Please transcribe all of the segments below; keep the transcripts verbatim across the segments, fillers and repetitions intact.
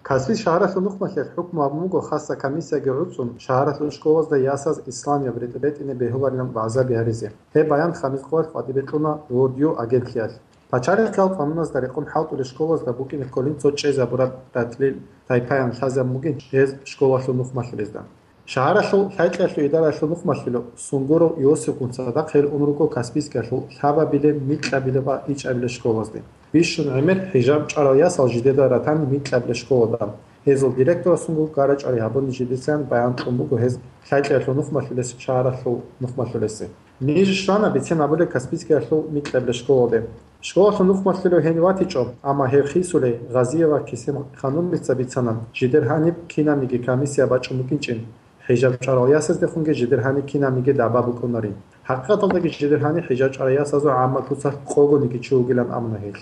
Каспийск шагьаралъул нухмалъиялъ хӀукму гьабун буго хасса комиссияги гӀуцӀун шагьаралъул школазда ясаз исламияб ретӀ-, ретӀине бегьуларилан вагӀзаби гьаризе. Гьеб баян Хамис Къоялъ къватӀибе кьуна World You агентлъиялъ. Пачалихъ кьал къануназда рекъон хӀалтӀулел школазда букӀине кколин цо чӀезабураб ратӀлил тайпаян лъазабун бугин гьез школалъул нухмалъулезда. Шагьаралъул лъайкьиялъул идараялъул нухмалъулев Сунгуров Иосифгун цадахъ гьел ун руго Каспийскиялъул лъабабилеб, микьабилеб ва ичӀабилеб школазде. Бищун гӀемер хӀижаб чӀварал ясал жидеда ратани микьабилеб школада. Гьезул директорасунгун гара-чӀвари гьабуни жидецаян баян кьун буго гьез лъайкьиялъул нухмалъулес шагьаралъул нухмалъулесе. Ниж щвана бицен абулеб Каспийскиялъул микьабилеб школалде. Школалъул нухмалъулев гьенив ватичӀо, амма гьев хисулей, Гъазиева Кесем-ханумица бицана, жидер гьаниб кинабниги комиссия бачӀун букӀинчӀин, хӀижаб чӀварал ясаздехунги жидер гьаниб кинабниги даба букӀунарин. ХӀакъикъаталдаги жидер гьаниб хӀижаб чӀварал ясазул гӀаммаб куцалъ къогониги чи вугилан абуна гьел.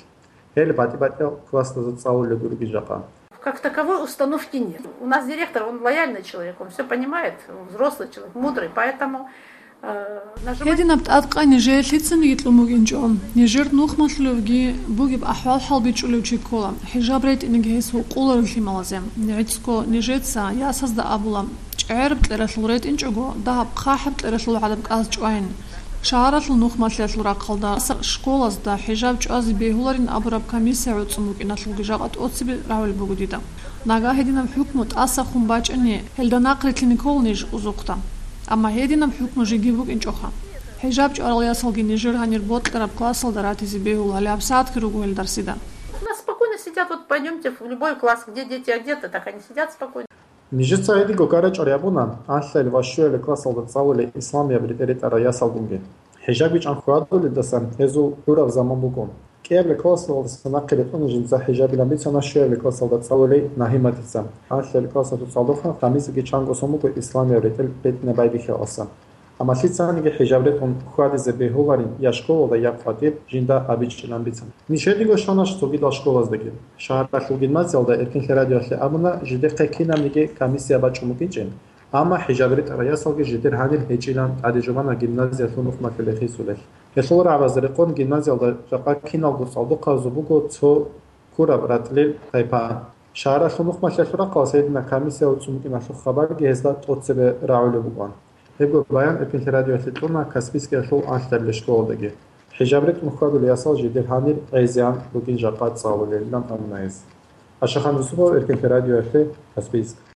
Гьел батӀи-батӀиял классазда цӀалулел гуригин жакъа. Как таковой установки нет. У нас директор, он лояльный человек, он все понимает, он взрослый человек, мудрый, поэтому, э, нажимать Гьединаб тӀадкъай нижее лъицаниги кьун букӀинчӀо. Нижер нухмалъулевги бугеб ахӀвал-хӀал бичӀчӀулев чи ккола, хӀижаб ретӀинеги гьес гьукъуларев лъималазе. ГӀицӀго нижеца ясазда абула, чӀегӀераб кьералъул ретӀинчӀого, дагьаб хъахӀаб кьералъул гӀадаб кӀалъ чӀвайин. Шагьаралъул нухмалъиялъул рахъалда, школазда хӀижаб чӀвазе бегьуларин абураб комиссия гӀуцӀун букӀиналъулги жакъа тӀоцебе рагӀулеб буго дида. Нагагь гьединаб хӀукму тӀасахун бачӀани, гьелда нахърилълъине ккола ниж узухъда. Амма гьединаб хӀукму жеги букӀинчӀоха. ХӀижаб чӀварал ясалги нижер гьанир бокьараб классалда ратизе бегьула, гьале гьабсагӀатги руго гьел дарсида. У нас спокойно сидят, вот пойдёмте в любой класс, где дети одеты, так они сидят спокойно. Нижеца гьединго гара-чӀвари гьабуна, анлъаялъ ва щуялъ классалда цӀалулел исламияб ретӀа-ретӀарал ясалгунги. ХӀижаб бичӀчӀан хьвадулелдасан гьезул гӀураб заман буго. КӀиабилеб классалдаса нахъе ретӀуна жинца хӀижабилан бицана щуябилеб классалда цӀалулей Нагьиматица. Анлъаялъ классалъул цӀалдохъан Хамисги чанго сон буго исламияб ретӀел ретӀине байбихьиялдаса. Амма лъицаниги хӀижаб ретӀун хьвадизе бегьуларин я школалда, я къватӀир жинда абичӀилан бицана. Ниж гьединго щвана цогидал школаздаги. Шагьаралъул гимназиялда Эркинлъи радиоялъе абуна жидехъе кинабниги комиссия бачӀун букӀинчӀин, амма хӀижаб ретӀарал ясалги жидер гьанир гьечӀилан тӀаде жубана гимназиялъул нухмалъулей хисулел. Гьелъул рагӀабазда рекъон гимназиялда жакъа киналго цӀалдохъабазул буго цо ккураб ратӀлил тайпа. Шагьаралъул нухмалъиялъул рахъалъ гьединаб комиссия гӀуцӀун букӀиналъул хабарги гьезда тӀоцебе рагӀулеб букӀана. Гьебго баян Эркинлъи радиоялъе кьуна Каспийскиялъул анлъабилеб школадаги. ХӀижаб ретӀун хьвадулел ясал жидер гьанир гӀезегӀан бугин жакъа цӀалулелилан абуна гьез. Ашахан Юсупов, Эркинлъи радиоялъе, Каспийск.